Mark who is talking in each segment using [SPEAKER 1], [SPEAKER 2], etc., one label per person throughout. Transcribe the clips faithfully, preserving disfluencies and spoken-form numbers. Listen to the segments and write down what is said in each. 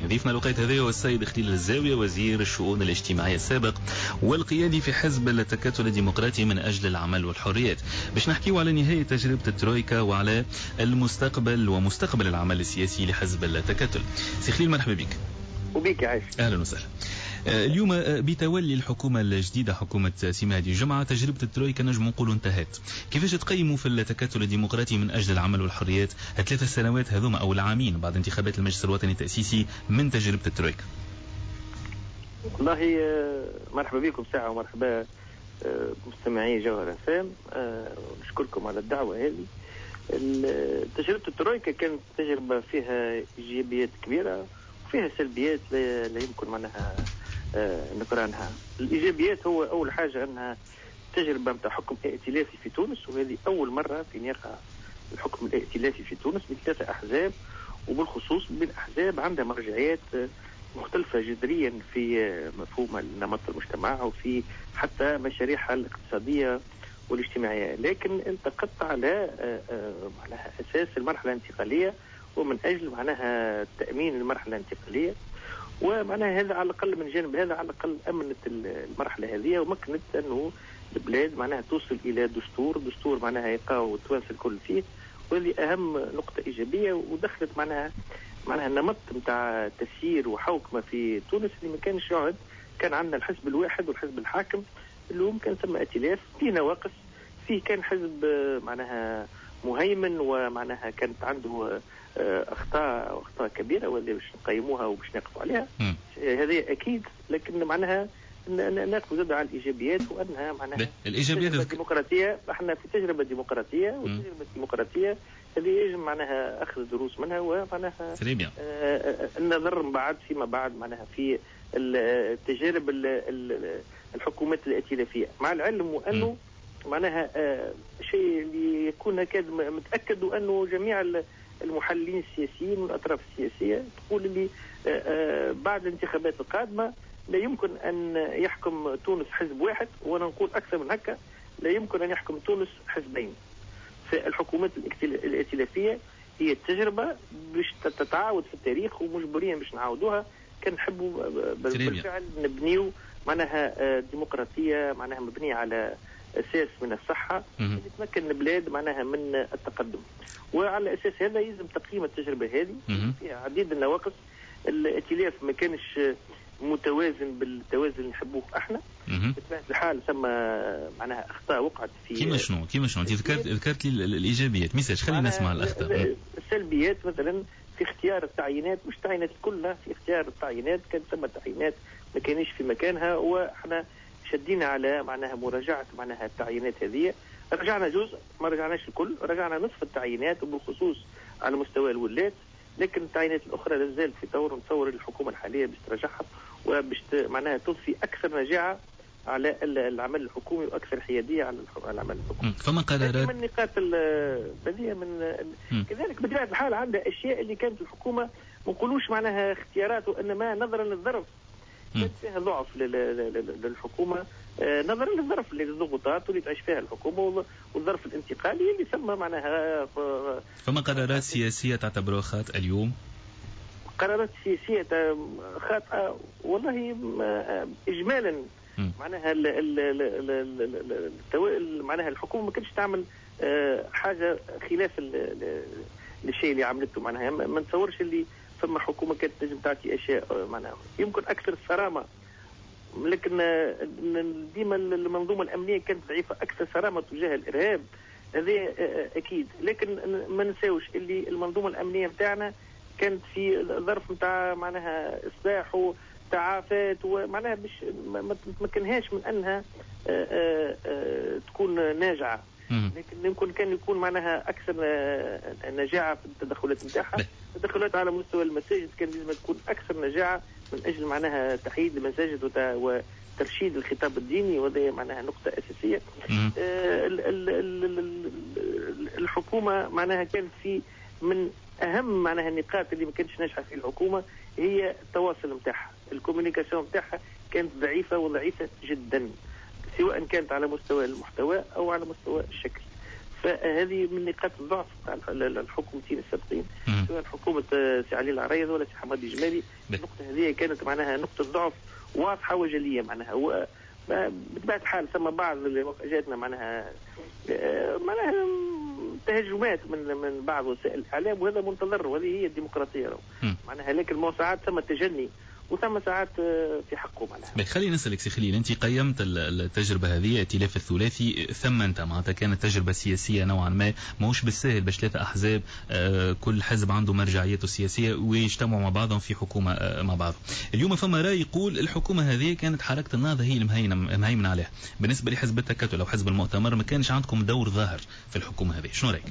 [SPEAKER 1] ضيفنا الوقت هذا هو السيد خليل الزاوية، وزير الشؤون الاجتماعية السابق والقيادي في حزب التكتل الديمقراطي من أجل العمل والحريات، باش نحكيو على نهاية تجربة الترويكا وعلى المستقبل ومستقبل العمل السياسي لحزب التكتل. سي خليل مرحبا بك.
[SPEAKER 2] وبيك عايش.
[SPEAKER 1] اهلا وسهلا. اليوم بتولي الحكومة الجديدة حكومة سي مهدي جمعة، تجربة الترويكا نجم نقولوا انتهت. كيفاش تقيموا في التكتل الديمقراطي من أجل العمل والحريات الثلاث سنوات هذوما أو العامين بعد انتخابات المجلس الوطني التأسيسي من تجربة الترويكا؟
[SPEAKER 2] والله مرحبا بكم ساعة ومرحبا مستمعي جوهر أف أم، نشكركم على الدعوة هذه. تجربة الترويكا كانت تجربة فيها إيجابيات كبيرة وفيها سلبيات لا يمكن معناها نكرانها. الايجابيات هو اول حاجة انها تجربه نتاع حكم ائتلافي في تونس، وهذه اول مرة في يقع الحكم الائتلافي في تونس من ثلاثة احزاب، وبالخصوص من احزاب عندها مرجعيات مختلفة جذريا في مفهوم نمط المجتمع وفي حتى مشاريعها الاقتصادية والاجتماعيه، لكن التقت على معناها اساس المرحلة الانتقالية ومن اجل معناها تامين المرحلة الانتقالية، ومعناها هذا على الاقل من جانب هذا على الاقل امنت المرحلة هذه ومكنت انه البلاد معناها توصل الى دستور، دستور معناها يلقاو التوانسة الكل فيه، وهذه اهم نقطة ايجابية. ودخلت معناها معناها النمط نتاع تسيير وحوكمه في تونس اللي ما كانش يعد، كان عندنا الحزب الواحد والحزب الحاكم. اليوم كان ثم ائتلاف فيه نواقص، فيه كان حزب معناها مهيمن ومعناها كانت عنده اخطاء واخطاء كبيرة واللي باش نقيموها وباش نقفوا عليها، هذه اكيد، لكن معناها ناقفوا زاد على الايجابيات وانها معناها
[SPEAKER 1] الايجابيات
[SPEAKER 2] الديمقراطيه. احنا في تجربه ديمقراطية، والتجربة الديمقراطية هذه يجب معناها اخذ دروس منها ومعناها آه النظر من بعد فيما بعد معناها في التجارب الحكومات الائتلافيه، مع العلم وانه معناها آه شيء اللي يكون هكذا متاكد وانه جميع المحللين السياسيين والاطراف السياسية تقول اللي بعد الانتخابات القادمة لا يمكن ان يحكم تونس حزب واحد، وانا نقول اكثر من هكا، لا يمكن ان يحكم تونس حزبين. فالحكومات الائتلافيه هي التجربة باش تتعاود في التاريخ ومجبورين باش نعاودوها كان نحبوا بالفعل نبنيو معناها ديمقراطية معناها مبنية على اساس من الصحة اللي تمكن البلاد معناها من التقدم. وعلى اساس هذا يلزم تقييم التجربة هذه فيها عديد النواقص. الائتلاف ما كانش متوازن بالتوازن اللي نحبوه احنا. بطبيعة الحال ثم معناها اخطاء وقعت في
[SPEAKER 1] كيما شنو كيما شنو انت ذكرت ذكرت لي الايجابيات، ميسالش خلينا نسمع الاخطاء.
[SPEAKER 2] السلبيات مثلا في اختيار التعيينات، مش التعيينات كلها، في اختيار التعيينات كان ثم تعيينات ما كانش في مكانها، واحنا شدينا على معناها مراجعه معناها التعيينات هذه. رجعنا جزء، ما رجعناش الكل، رجعنا نصف التعيينات وبالخصوص على مستوى الولاة، لكن التعيينات الاخرى لا زالت في طور. نتصور الحكومة الحالية باش تراجعها وباش معناها تضفي اكثر نجاعه على العمل الحكومي واكثر حيادية على العمل الحكومي.
[SPEAKER 1] فما قرارات
[SPEAKER 2] من نقاط هذه من م. كذلك بطبيعة الحال عندها اشياء اللي كانت الحكومة ما نقولوش معناها اختيارات، وانما نظرا للظرف كانت فيها ضعف للحكومة نظرا للظرف للضغوطات اللي تعيش فيها الحكومة والظرف الانتقالي اللي ثم معناها.
[SPEAKER 1] فما قرارات سياسية تعتبروها خاطئه اليوم؟
[SPEAKER 2] قرارات سياسية خاطئه والله اجمالا معناها ال ال ال ال معناها الحكومة ما كانتش تعمل حاجة خلاف الشيء اللي عملته، معناها ما نتصورش اللي ثم حكومة كانت تنجم تعطي اشياء معناها يمكن اكثر صرامه، لكن ديما المنظومة الامنية كانت ضعيفة، اكثر صرامه تجاه الارهاب هذا اكيد، لكن ما ننساوش اللي المنظومة الامنية نتاعنا كانت في ظرف نتاع معناها اصلاح وتعافات ومعناها باش ما تمكنهاش من انها تكون ناجعة، لكن يمكن كان يكون معناها اكثر نجاعه في التدخلات نتاعها. التدخلات على مستوى المساجد كان لازم تكون اكثر نجاعه من اجل معناها تحييد المساجد وترشيد الخطاب الديني، وهذا معناها نقطة اساسية. آه الحكومة معناها كانت في من اهم معناها النقاط اللي ما كانتش ناجحة في الحكومة هي التواصل نتاعها، ال communication نتاعها كانت ضعيفة وضعيفه جدا، سواء كانت على مستوى المحتوى او على مستوى الشكل. فهذه من نقاط الضعف تاع الحكومتين السابقين، سواء حكومة سي علي العريض ولا سي حمادي الجمالي. النقطة هذه كانت معناها نقطة ضعف واضحة وجليه معناها. بطبيعة الحال ثم بعض اللي جاتنا معناها معناها تهجمات من من بعض وسائل الاعلام، وهذا منتظر وهذه هي الديمقراطية معناها، لكن ما ساعات ثم تجني وثم ساعات في حقه معناها.
[SPEAKER 1] خليني نسألك سي خليل، أنت قيمت التجربة هذه ائتلاف الثلاثي، ثم أنت معناتها كانت تجربة سياسية نوعا ما ماهوش بالساهل باش ثلاثة أحزاب كل حزب عنده مرجعيته السياسية ويجتمعوا مع بعضهم في حكومة مع بعض. اليوم فما رأي يقول الحكومة هذه كانت حركة النهضة هي المهيمنة عليها. بالنسبة لحزب التكتل أو حزب المؤتمر ما كانش عندكم دور ظاهر في الحكومة هذه، شنو رأيك؟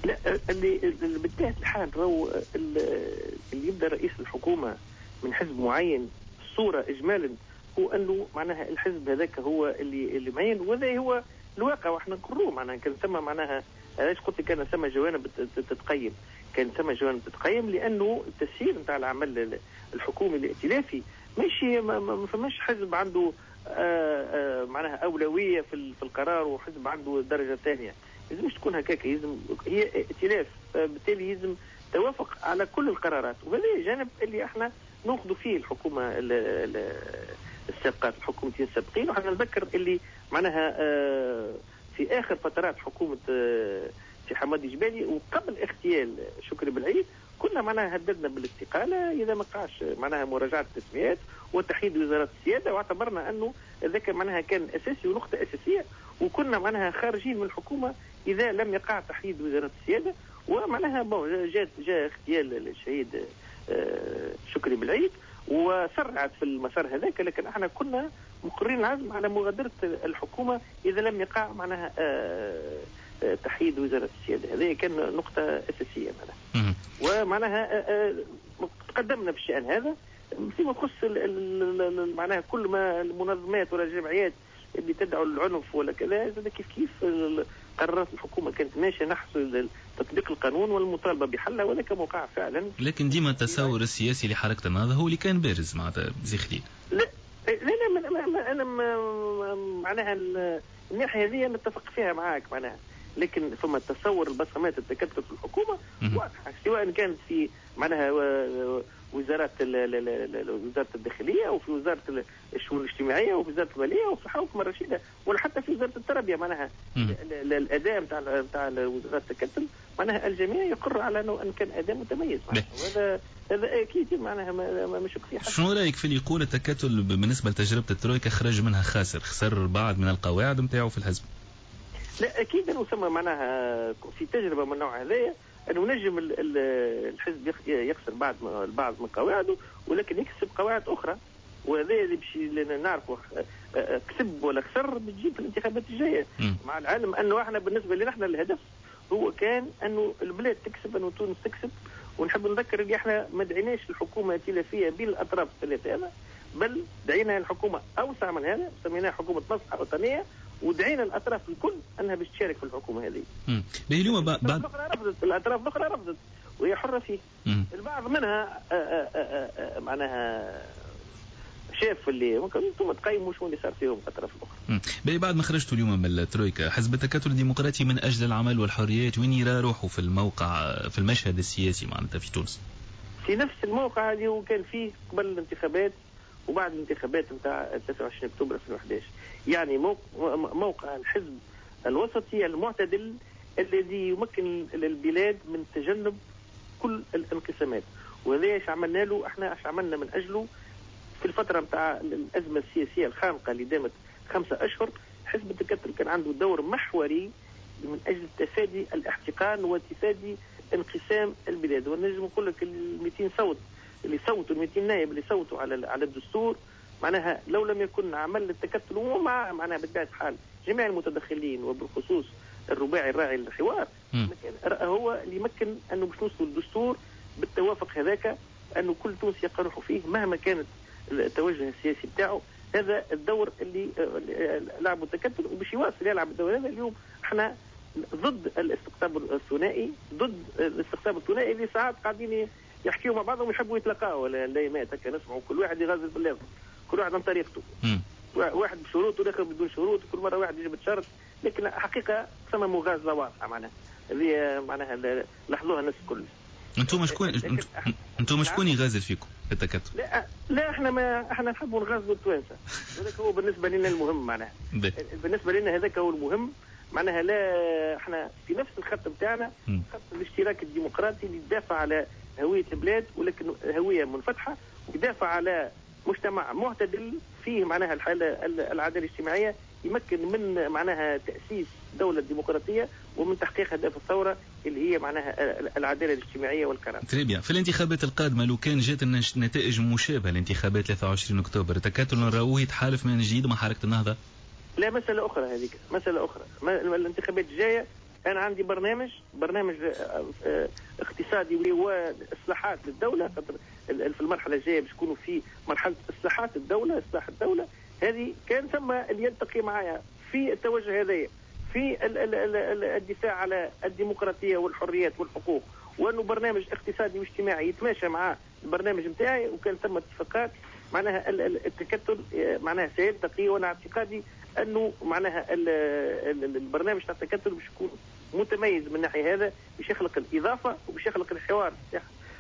[SPEAKER 2] لا، اللي بالطبيعة الحال راهو اللي يبدأ رئيس الحكومة من حزب معين، الصورة إجمالا هو أنه معناها الحزب هذاك هو اللي اللي معين، وهذا هو الواقع واحنا نقروه معناها. كان ثم معناها علاش قلت كان ثم جوانب تتقيم، كان ثم جوانب تتقيم لأنه التسيير نتاع العمل الحكومي الائتلافي ماشي، ما, ما فماش حزب عنده آآ آآ معناها أولوية في في القرار وحزب عنده درجة ثانية. لازمش تكون هكاك، يلزم هي ائتلاف، بالتالي يلزم توافق على كل القرارات، وهذا جانب اللي احنا ناخذ فيه الحكومة السابقات، الحكومتين السابقين. وحنا نذكر اللي معناها في اخر فترات حكومة في حمادي جبالي وقبل اغتيال شكري بالعيد كنا معناها هددنا بالاستقاله اذا ما قاش معناها مراجعه التسميات وتحييد وزارة السيادة، واعتبرنا انه ذاك معناها كان اساسي ونقطة اساسية، وكنا معناها خارجين من الحكومة اذا لم يقع تحييد وزارة السيادة. ومعناها bon جاء جاء اغتيال الشهيد شكري بالعيد وسرعت في المسار هذاك، لكن احنا كنا مقرين العزم على مغادرة الحكومة إذا لم يقع معناها تحييد وزارة السيادة. هذه كان نقطة أساسية معناها، ومعناها تقدمنا في الشأن هذا. فيما يخص معناها كل ما المنظمات ولا الجمعيات اللي تدعو للعنف ولا كذا، كيف كيف قرارات الحكومة كانت ماشية نحو تطبيق القانون والمطالبة بحلها، وذاك موقع فعلا.
[SPEAKER 1] لكن ديما التصور السياسي لحركة النهضة هو اللي كان بارز معناتها زي خليل.
[SPEAKER 2] لا لا لا، ما انا معناها الناحية هذه نتفق فيها معاك معناها، لكن ثم التصور البصمات التكتل في الحكومة واضحة، سواء كانت في معناها وزارات وزارة الداخلية وفي وزارة الشؤون الاجتماعية وفي وزارة المالية وفي الحكومة الرشيدة ولا حتى في وزارة التربية. معناها الاداء نتاع نتاع وزارة التكتل معناها الجميع يقر على انه ان كان اداء متميز، وهذا هذا اكيد معناها ما مش في حد.
[SPEAKER 1] شنو رايك في اللي يقول التكتل بالنسبة لتجربة الترويكا خرج منها خاسر، خسر بعض من القواعد نتاعو في الحزب؟
[SPEAKER 2] لا اكيد انه ثم معناها في تجربه من النوع هذايا انه نجم الحزب يخسر بعض البعض من قواعده ولكن يكسب قواعد اخرى، وهذا اللي باش نعرفوا كسب ولا خسر بتجيب في الانتخابات الجاية. مع العلم انه احنا بالنسبة لنا احنا الهدف هو كان انه البلاد تكسب، انه تونس تكسب. ونحب نذكر اللي احنا ما دعيناش الحكومة ائتلافيه بين الاطراف الثلاثة هذا، بل دعينا الحكومة اوسع من هذا، سميناها حكومة مصلحة وطنية، ودعينا الاطراف الكل انها باش تشارك في الحكومة هذه.
[SPEAKER 1] امم اليوم بعد
[SPEAKER 2] الاخرى رفضت، الاطراف الاخرى رفضت وهي حره فيه.
[SPEAKER 1] مم.
[SPEAKER 2] البعض منها آآ آآ آآ معناها شاف اللي ممكن انتم تقيموا شو اللي صار فيهم الاطراف الاخرى.
[SPEAKER 1] باهي، بعد ما خرجتوا اليوم من الترويكا، حزب التكتل الديمقراطي من اجل العمل والحريات وين يرى روحه في الموقع في المشهد السياسي معناتها في تونس؟
[SPEAKER 2] في نفس الموقع اللي هو كان فيه قبل الانتخابات وبعد الانتخابات نتاع ثلاثة وعشرين اكتوبر ألفين وأحد عشر، يعني موقع الحزب الوسطي المعتدل الذي يمكن البلاد من تجنب كل الانقسامات. وهذا ايش عملنا له احنا، ايش عملنا من اجله في الفترة نتاع الازمة السياسية الخانقه اللي دامت خمسة اشهر. حزب التكتل كان عنده دور محوري من اجل تفادي الاحتقان وتفادي انقسام البلاد. ونجم نقول لك ال مئتين صوت اللي صوتوا، ال مئتين نائب اللي صوتوا على على الدستور، معناها لو لم يكن عمل التكتل ومع معناها بطبيعة الحال جميع المتدخلين وبالخصوص الرباعي الراعي للحوار، هو اللي يمكن انه باش نوصلوا للدستور بالتوافق هذاك، انه كل تونسي يقرحوا فيه مهما كانت التوجه السياسي بتاعه. هذا الدور اللي لعبه التكتل وباش يواصل يلعب الدور هذا. اليوم احنا ضد الاستقطاب الثنائي، ضد الاستقطاب الثنائي اللي ساعات قاعدين يحكيوا مع بعضهم ويحبوا يتلاقاو الايامات هكا، نسمعوا كل واحد يغزل في اللازم، كل واحد عن طريقته، واحد بشروط والاخر بدون شروط، كل مرة واحد يجيب شرط. لكن حقيقة ثم مغازله واضحة معناها اللي معناها لاحظوها الناس الكل.
[SPEAKER 1] انتم شكون انتم شكون يغازل فيكم في التكتل؟
[SPEAKER 2] لا لا احنا ما احنا نحبوا نغازلوا التوانسة، هذاك هو بالنسبة لنا المهم معناها. بالنسبة لنا هذاك هو المهم معناها. لا احنا في نفس الخط نتاعنا، خط الاشتراك الديمقراطي اللي يدافع على هوية البلاد ولكن هوية منفتحة، ويدافع على مجتمع معتدل فيه معناها الحالة العدالة الاجتماعية، يمكن من معناها تاسيس دولة ديمقراطية ومن تحقيق اهداف الثورة اللي هي معناها العدالة الاجتماعية والكرامة.
[SPEAKER 1] très bien. في الانتخابات القادمة لو كان جات النتائج مشابهة لانتخابات ثلاثة وعشرين اكتوبر، التكتل نراوه يتحالف من جديد مع حركة النهضة؟
[SPEAKER 2] لا، مسالة اخرى هذيك، مسالة اخرى. الانتخابات الجاية انا عندي برنامج، برنامج اقتصادي واصلاحات للدولة، خاطر في المرحلة الجاية باش يكونوا في مرحلة اصلاحات الدولة، اصلاح الدولة هذه كان ثم اللي يلتقي معايا في التوجه هذايا في الدفاع على الديمقراطية والحريات والحقوق، وانه برنامج اقتصادي واجتماعي يتماشى مع البرنامج نتاعي، وكان ثم اتفاقات معناها التكتل معناها سيلتقي. وانا اعتقادي انه معناها البرنامج تاع التكتل باش يكون متميز من الناحية هذا، باش يخلق الاضافة وباش يخلق الحوار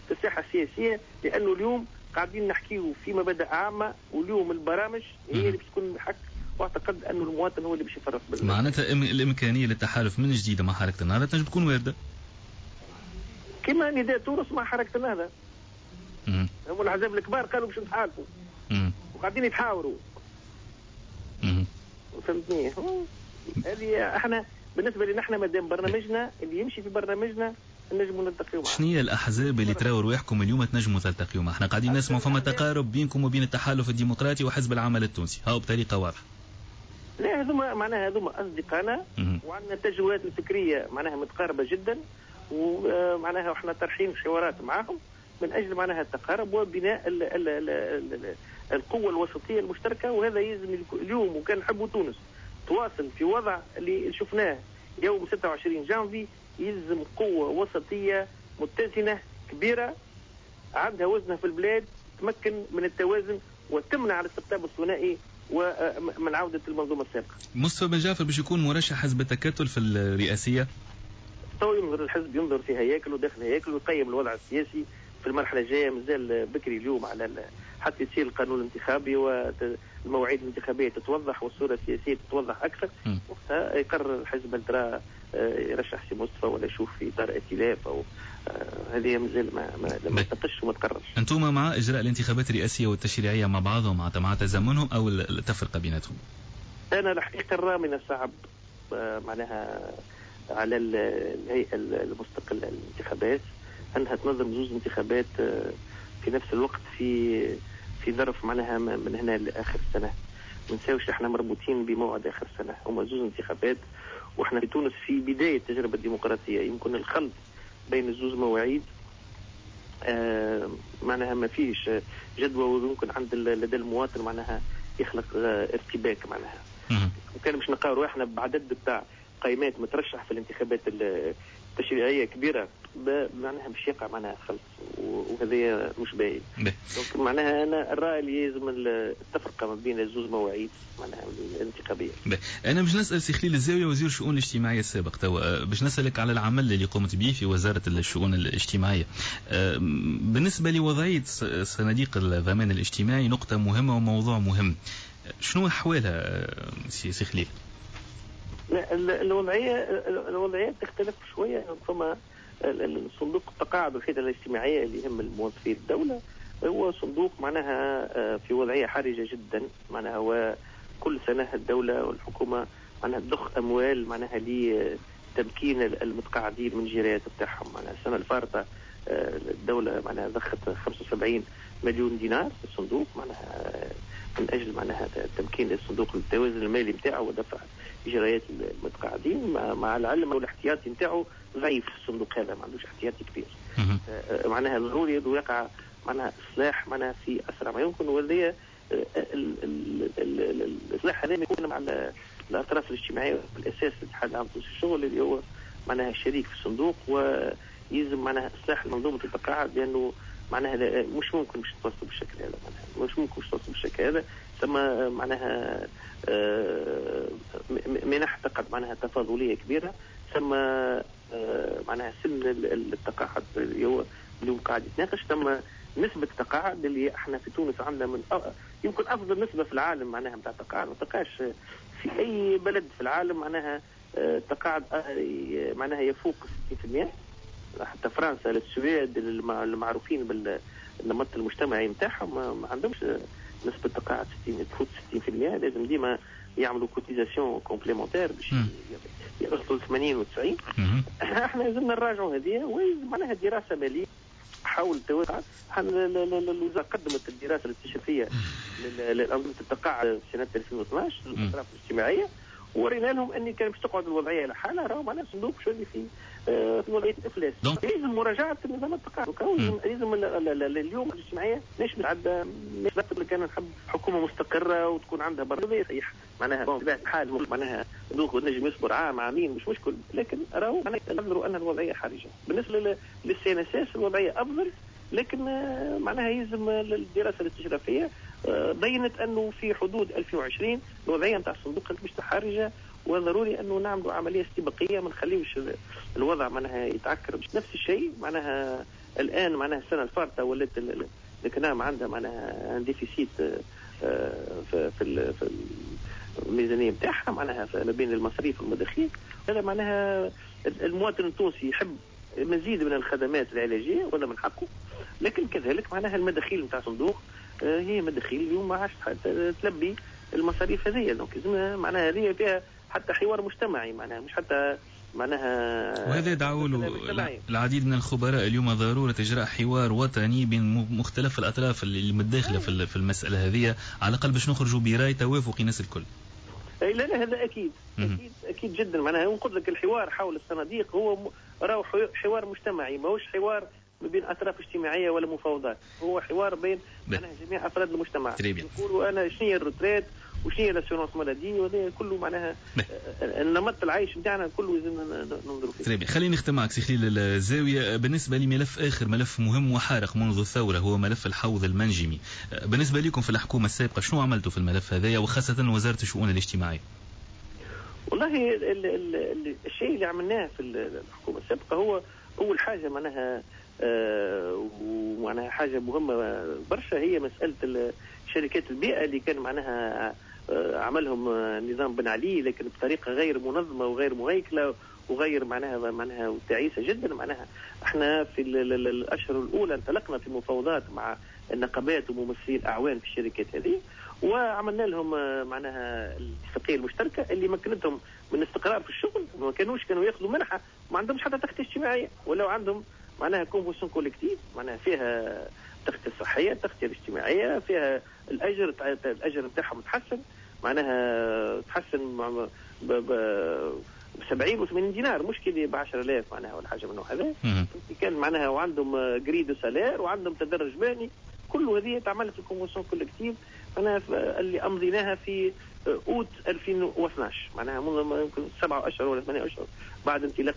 [SPEAKER 2] في الساحة السياسية، لانه اليوم قاعدين نحكيو في مبادئ عامة، واليوم البرامج هي اللي باش تكون الحق، واعتقد انه المواطن هو اللي باش يفرق.
[SPEAKER 1] معناتها الامكانية للتحالف من جديد مع حركة النهضة تنجم تكون وارده.
[SPEAKER 2] كما نداء تونس مع حركة النهضة. هم الاحزاب الكبار قالوا باش نتحالفوا. وقاعدين يتحاوروا. فهمتني؟ هذه احنا بالنسبة لنا احنا مادام برنامجنا اللي يمشي في برنامجنا نجموا نلتقيو معاه.
[SPEAKER 1] شنو هي الاحزاب اللي تراو رواحكم اليوم تنجموا تلتقيو معها؟ احنا قاعدين نسمعوا فما تقارب بينكم وبين التحالف الديمقراطي وحزب العمل التونسي، هاو بطريقة واضحة.
[SPEAKER 2] لا هذوما معناها هذوما اصدقائنا وعندنا التجربات الفكرية معناها متقاربة جدا، ومعناها احنا طرحين حوارات معاهم من اجل معناها التقارب وبناء ال ال ال ال القوة الوسطية المشتركة. وهذا يلزم اليوم، وكان نحبوا تونس تواصل في وضع اللي شفناه يوم ستة وعشرين جانفي، يلزم قوة وسطية متزنة كبيرة عندها وزنها في البلاد، تمكن من التوازن وتمنع الاستقطاب الثنائي ومن عودة المنظومة السابقة.
[SPEAKER 1] مصطفى بن جعفر باش يكون مرشح حزب التكتل في الرئاسية؟
[SPEAKER 2] تو ينظر الحزب، ينظر في هياكله داخل هياكله، ويقيم الوضع السياسي في المرحلة الجاية. مازال بكري اليوم على حتى يصير القانون الانتخابي والمواعيد الانتخابية تتوضح والصورة السياسية تتوضح أكثر، وقتها يقرر الحزب هل ترى يرشح سي مصطفى ولا يشوف في إطار ائتلاف أو هذه مازال ما ما, ما تناقش وما تقررش.
[SPEAKER 1] أنتم مع إجراء الانتخابات الرئاسية والتشريعية مع بعضهم مع مع تزامنهم أو التفرقة بيناتهم؟
[SPEAKER 2] أنا الحقيقة نرى من الصعب معناها على الهيئة المستقلة للانتخابات أنها تنظم زوج انتخابات في نفس الوقت في في ظرف معناها من هنا لآخر السنة. ما نساوش احنا مربوطين بموعد آخر السنة، هما زوج انتخابات، واحنا في تونس في بداية التجربة الديمقراطية، يمكن الخلط بين الزوز مواعيد آه معناها ما فيش جدوى، ويمكن عند لدى المواطن معناها يخلق آه ارتباك معناها. وكان باش نلقاو روحنا بعدد بتاع قيمات مترشح في الانتخابات التشريعية كبيرة، معناها باش يقع معناها خلط، وهذا مش باين. donc معناها انا الراي اللي لازم التفرقة ما بين الزوز مواعيد معناها الانتخابية.
[SPEAKER 1] انا باش نسال سي خليل الزاوية وزير الشؤون الاجتماعية السابق توا، باش نسالك على العمل اللي قمت به في وزارة الشؤون الاجتماعية. بالنسبة لوضعيه صناديق الضمان الاجتماعي نقطة مهمة وموضوع مهم، شنو احوالها سي خليل؟
[SPEAKER 2] لا الوضعية الوضعية تختلف شوية. ثم الصندوق التقاعد والخدمة الاجتماعية اللي يهم الموظفين الدولة هو صندوق معناها في وضعية حرجه جدا، معناها هو كل سنة الدولة والحكومة معناها تضخ اموال معناها لتمكين المتقاعدين من جرايات بتاعهم. معناها السنة الفارطه الدولة معناها ضخت خمسة وسبعين مليون دينار في الصندوق معناها من اجل معناها تمكين الصندوق التوازن المالي نتاعو ودفع اجراءات المتقاعدين، مع العلم والاحتياطي نتاعو ضعيف الصندوق هذا، ما عندوش احتياطي كبير. معناها ضروري يقع معناها اصلاح معناها في اسرع ما يمكن، وهذا الاصلاح هذا يكون مع الاطراف الاجتماعية بالاساس الاتحاد العام للشغل اللي هو معناها شريك في الصندوق، ويلزم معناها اصلاح منظومة التقاعد لانه معناها مش ممكن باش توصلوا بالشكل هذا، معناها مش ممكن باش توصلوا بالشكل هذا. ثم معناها منح تقعد معناها تفاضليه كبيرة، ثم معناها سن التقاعد اللي هو اليوم قاعد يتناقش، ثم نسبة التقاعد اللي احنا في تونس عندنا من أ... يمكن افضل نسبة في العالم معناها نتاع التقاعد، ما تلقاش في اي بلد في العالم معناها التقاعد معناها يفوق ستين بالمئة، حتى فرنسا السويد المعروفين بالنمط المجتمعي نتاعهم ما عندهمش نسبة تقاعد ستين تفوت ستين بالمئة، لازم ديما يعملوا cotisation complémentaire باش يوصلوا ثمانين وتسعين. احنا لازمنا نراجعوا هذه، ومعناها دراسة مالية حول التوقع. الوزارة قدمت الدراسة الاستشرافية لأنظمة التقاعد في سنة ألفين واثناش للأطراف الاجتماعية، ورينا لهم أن كان باش تقعد الوضعية على حالها راهو معناها صندوق شو اللي في في وضعية الإفلاس. لازم مراجعة نظام التقاعد، لازم اليوم الاجتماعية مش متعدى، مش بس كان نحب حكومة مستقرة وتكون عندها برنامج صحيح معناها بطبيعة الحال معناها صندوق نجم يصبر عام عامين مش مشكل، لكن راهو معناها نظروا أن الوضعية حرجة. بالنسبة لل CNSS الوضعية أفضل، لكن معناها يلزم الدراسة الاستشرافية بينت أنه في حدود ألفين وعشرين الوضعية نتاع الصندوق مش حرجة، وضروري أنه نعملوا عملية استباقية ما نخليوش الوضع معناها يتعكر. نفس الشيء معناها الآن معناها السنة الفارطة ولات الكنام عندها معناها déficit في في الميزانية نتاعها معناها ما بين المصاريف والمداخيل. هذا معناها المواطن التونسي يحب مزيد من الخدمات العلاجية ولا من حقه، لكن كذلك معناها المداخيل نتاع الصندوق هي مداخيل اليوم ما عادش تلبي المصاريف هذه. donc معناها هذه فيها حتى حوار مجتمعي معناها مش حتى معناها،
[SPEAKER 1] وهذا يدعو له العديد من الخبراء اليوم ضرورة إجراء حوار وطني بين مختلف الأطراف اللي متداخلة في المسألة هذه، على الأقل باش نخرجوا براي توافقي الناس الكل.
[SPEAKER 2] لا لا هذا أكيد أكيد أكيد جدا. معناها نقول لك الحوار حول الصناديق هو راهو حوار مجتمعي، ماهوش حوار ما بين أطراف اجتماعية ولا مفاوضات، هو حوار بين معناها جميع أفراد المجتمع. يقولوا أنا شنو هي ال retraite وشنو هي l'assurance maladie، وهذا كله معناها النمط العيش نتاعنا كله لازم ننظروا فيه.
[SPEAKER 1] خليني نختم معك سي خليل الزاوية بالنسبة لملف آخر، ملف مهم وحارق منذ الثورة، هو ملف الحوض المنجمي. بالنسبة لكم في الحكومة السابقة شنو عملتوا في الملف هذايا، وخاصة وزارة الشؤون الاجتماعية؟
[SPEAKER 2] والله ال ال الشيء اللي عملناه في الحكومة السابقة هو أول حاجة معناها آه ومعناها حاجة مهمة برشا، هي مسألة شركات البيئة اللي كان معناها آه عملهم نظام بن علي، لكن بطريقة غير منظمة وغير مهيكلة وغير معناها معناها تعيسة جدا. معناها احنا في الأشهر الأولى انطلقنا في مفاوضات مع النقابات وممثلي الأعوان في الشركات هذه، وعملنا لهم معناها الاتفاقية المشتركة اللي مكنتهم من استقرار في الشغل. ما كانوش كانوا ياخذوا منحة، ما عندهمش حتى تغطية اجتماعية، ولو عندهم معناها convention collective معناها فيها التغطية الصحية، التغطية الاجتماعية، فيها الأجر، الأجر نتاعهم تحسن معناها تحسن ب سبعين وثمانين دينار، مش كي ب عشرة آلاف معناها ولا حاجة من هذا. كان معناها وعندهم grille de salaire وعندهم تدرج مهني، كل هذه تعملت في ال convention collective معناها اللي امضيناها في اوت ألفين واثناش، معناها منذ يمكن سبعة اشهر ولا ثمانية اشهر بعد انطلاق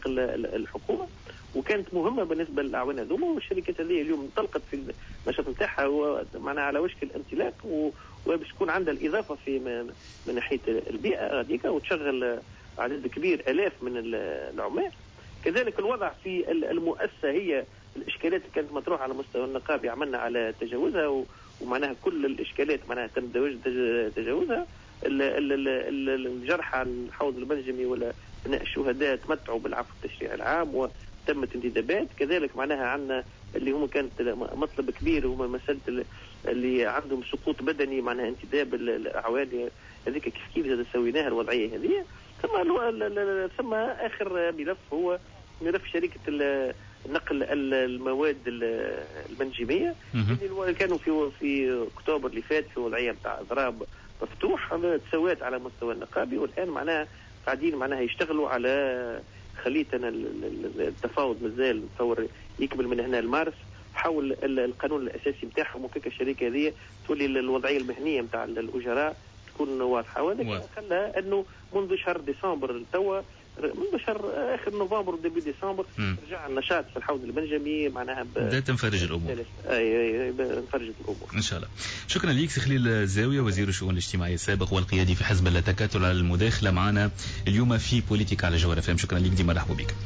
[SPEAKER 2] الحكومة، وكانت مهمة بالنسبة للاعوان هذوما. والشركات هذه اليوم انطلقت في النشاط نتاعها ومعناها على وشك الانطلاق، وباش تكون عندها الاضافة في من ناحية البيئة هذيك، وتشغل عدد كبير الاف من العمال. كذلك الوضع في المؤسسة هي الاشكالات اللي كانت مطروحة على مستوى النقابي عملنا على تجاوزها، ومعناها كل الاشكالات معناها تم تجاوزها. الجرحى الحوض المنجمي ولا ابناء الشهداء تمتعوا بالعفو التشريعي العام وتمت انتدابات. كذلك معناها عندنا اللي هم كانت مطلب كبير هما مسالة اللي عندهم سقوط بدني معناها انتداب الاعوان هذيك كيف كيف زاد سويناها الوضعية هذه. ثم ثم اخر ملف هو ملف شركة نقل المواد المنجميه اللي كانوا في في اكتوبر اللي فات في وضعية نتاع اضراب مفتوح، تسوات على مستوى النقابي، والان معناها قاعدين معناها يشتغلوا على خليتنا التفاوض مازال نتصور يكمل من هنا لمارس حول القانون الاساسي نتاعهم، وكيف الشركة هذه تولي الوضعية المهنية نتاع الاجراء تكون واضحة. وهذا خلى انه منذ شهر ديسمبر توا من شهر اخر نوفمبر و début décembre رجع النشاط في الحوض المنجمي، معناها
[SPEAKER 1] بدات تنفرج الامور.
[SPEAKER 2] اي اي، انفرجت الامور.
[SPEAKER 1] ان شاء الله. شكرا لك سي خليل الزاويه، وزير الشؤون الاجتماعية السابق والقيادي في حزب التكتل، على المداخلة معنا اليوم في بوليتيك على جوهرة اف ام. شكرا لك، ديما مرحبا بك.